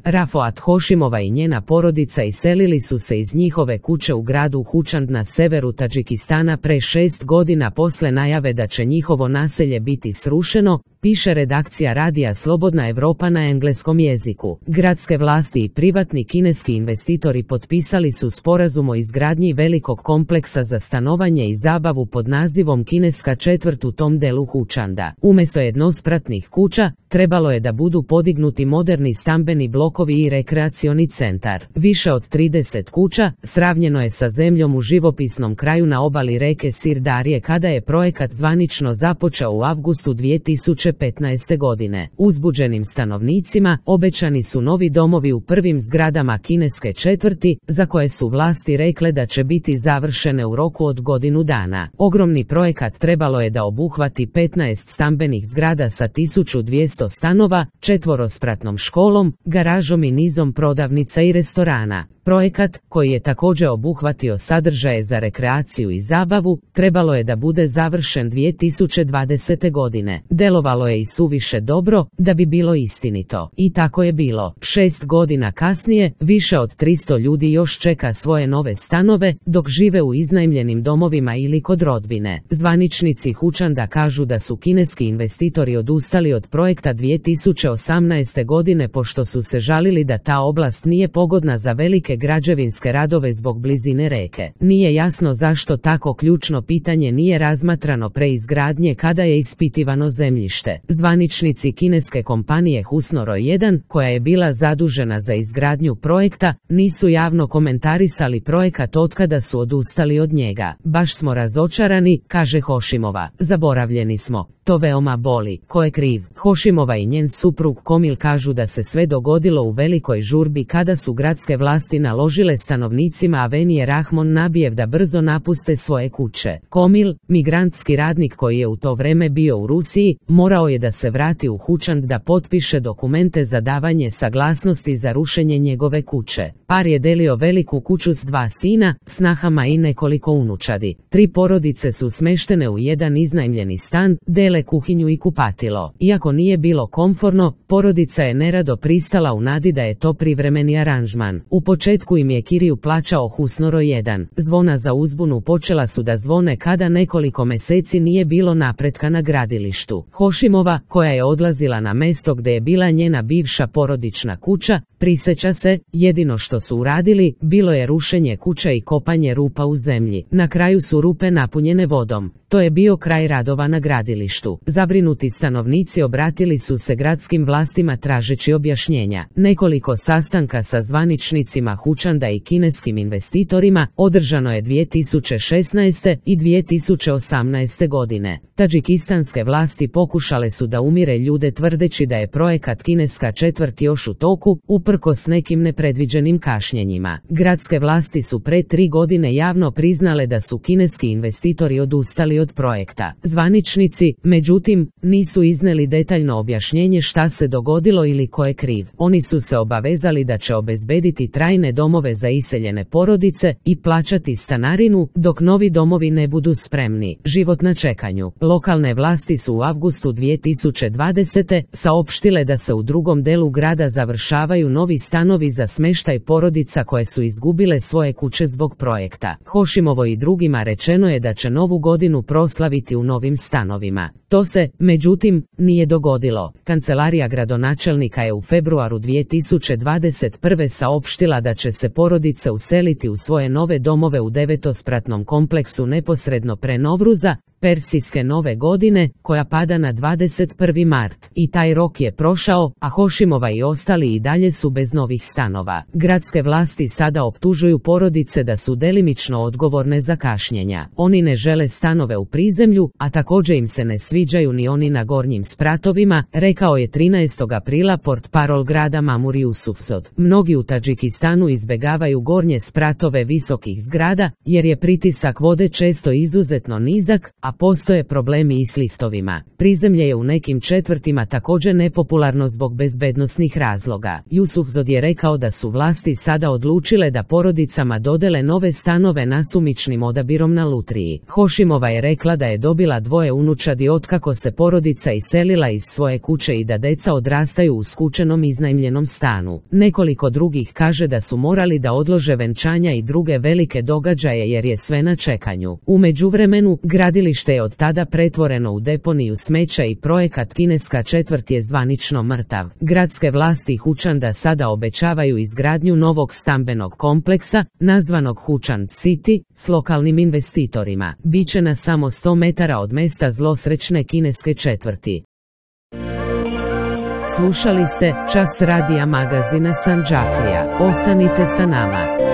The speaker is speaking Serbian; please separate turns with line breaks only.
Rafoat Hošimova i njena porodica iselili su se iz njihove kuće u gradu Hučand na severu Tadžikistana pre 6 godina posle najave da će njihovo naselje biti srušeno, piše redakcija radija Slobodna Evropa na engleskom jeziku. Gradske vlasti i privatni kineski investitori potpisali su sporazum o izgradnji velikog kompleksa za stanovanje i zabavu pod nazivom Kineska četvrt u tom delu Hučanda. Umjesto jednospratnih kuća, trebalo je da budu podignuti moderni stambeni blokovi i rekreacioni centar. Više od 30 kuća sravnjeno je sa zemljom u živopisnom kraju na obali reke Sirdarije kada je projekat zvanično započeo u avgustu 2015. godine. Uzbuđenim stanovnicima obećani su novi domovi u prvim zgradama kineske četvrti, za koje su vlasti rekle da će biti završene u roku od godinu dana. Ogromni projekat trebalo je da obuhvati 15 stambenih zgrada sa 1200 stanova, četvorospratnom školom, garažom i nizom prodavnica i restorana. Projekat, koji je također obuhvatio sadržaje za rekreaciju i zabavu, trebalo je da bude završen 2020. godine. Delovalo je i suviše dobro da bi bilo istinito. I tako je bilo. 6 godina kasnije, više od 300 ljudi još čeka svoje nove stanove, dok žive u iznajmljenim domovima ili kod rodbine. Zvaničnici Hučanda kažu da su kineski investitori odustali od projekta 2018. godine pošto su se žalili da ta oblast nije pogodna za velike građevinske radove zbog blizine reke. Nije jasno zašto tako ključno pitanje nije razmatrano pre izgradnje kada je ispitivano zemljište. Zvaničnici kineske kompanije Husnoro 1, koja je bila zadužena za izgradnju projekta, nisu javno komentarisali projekat otkada su odustali od njega. Baš smo razočarani, kaže Hošimova. Zaboravljeni smo. To veoma boli. Ko je kriv? Hošimova i njen suprug Komil kažu da se sve dogodilo u velikoj žurbi kada su gradske vlasti naložile stanovnicima Avenije Rahmon Nabijev da brzo napuste svoje kuće. Komil, migrantski radnik koji je u to vreme bio u Rusiji, morao je da se vrati u Hučand da potpiše dokumente za davanje saglasnosti za rušenje njegove kuće. Par je delio veliku kuću s 2 sina, snahama i nekoliko unučadi. 3 porodice su smeštene u jedan iznajmljeni stan, dele kuhinju i kupatilo. Iako nije bilo komforno, porodica je nerado pristala u nadi da je to privremeni aranžman. U početku im je kiriju plaćao Husnoro 1. Zvona za uzbunu počela su da zvone kada nekoliko meseci nije bilo napretka na gradilištu. Hošimova, koja je odlazila na mesto gde je bila njena bivša porodična kuća, priseća se, jedino što su uradili, bilo je rušenje kuća i kopanje rupa u zemlji. Na kraju su rupe napunjene vodom. To je bio kraj radova na gradilištu. Zabrinuti stanovnici obratili su se gradskim vlastima tražeći objašnjenja. Nekoliko sastanka sa zvaničnicima Hučanda i kineskim investitorima održano je 2016. i 2018. godine. Tadžikistanske vlasti pokušale su da umire ljude tvrdeći da je projekat Kineska četvrt još u toku, uprkos nekim nepredviđenim kašnjenjima. Gradske vlasti su pre 3 godine javno priznale da su kineski investitori odustali od projekta. Zvaničnici, međutim, nisu izneli detaljno objašnjenje šta se dogodilo ili ko je kriv. Oni su se obavezali da će obezbediti trajne domove za iseljene porodice i plaćati stanarinu dok novi domovi ne budu spremni. Život na čekanju. Lokalne vlasti su u avgustu 2020. saopštile da se u drugom delu grada završavaju novi stanovi za smeštaj porodica koje su izgubile svoje kuće zbog projekta. Hošimovo i drugima rečeno je da će novu godinu proslaviti u novim stanovima. To se, međutim, nije dogodilo. Kancelarija gradonačelnika je u februaru 2021. saopštila da će se porodice useliti u svoje nove domove u 9-spratnom kompleksu neposredno pre Novruza, Persijske nove godine, koja pada na 21. mart. I taj rok je prošao, a Hošimova i ostali i dalje su bez novih stanova. Gradske vlasti sada optužuju porodice da su delimično odgovorne za kašnjenja. Oni ne žele stanove u prizemlju, a također im se ne sviđaju ni oni na gornjim spratovima, rekao je 13. aprila portparol grada Mamur Jusufzod. Mnogi u Tadžikistanu izbegavaju gornje spratove visokih zgrada, jer je pritisak vode često izuzetno nizak, a postoje problemi i s liftovima. Prizemlje je u nekim četvrtima također nepopularno zbog bezbednosnih razloga. Jusufzod je rekao da su vlasti sada odlučile da porodicama dodele nove stanove nasumičnim odabirom na lutriji. Hošimova je rekla da je dobila 2 unučadi otkad otkako se porodica iselila iz svoje kuće i da deca odrastaju u skučenom iznajmljenom stanu. Nekoliko drugih kaže da su morali da odlože venčanja i druge velike događaje jer je sve na čekanju. U međuvremenu, gradilište je od tada pretvoreno u deponiju smeća i projekat Kineska četvrt je zvanično mrtav. Gradske vlasti Hučanda sada obećavaju izgradnju novog stambenog kompleksa, nazvanog Hučand City, s lokalnim investitorima. Biće na samo 100 metara od mesta zlosrećne kineske četvrti. Slušali ste Čas radija magazina Sandžaklija. Ostanite sa nama.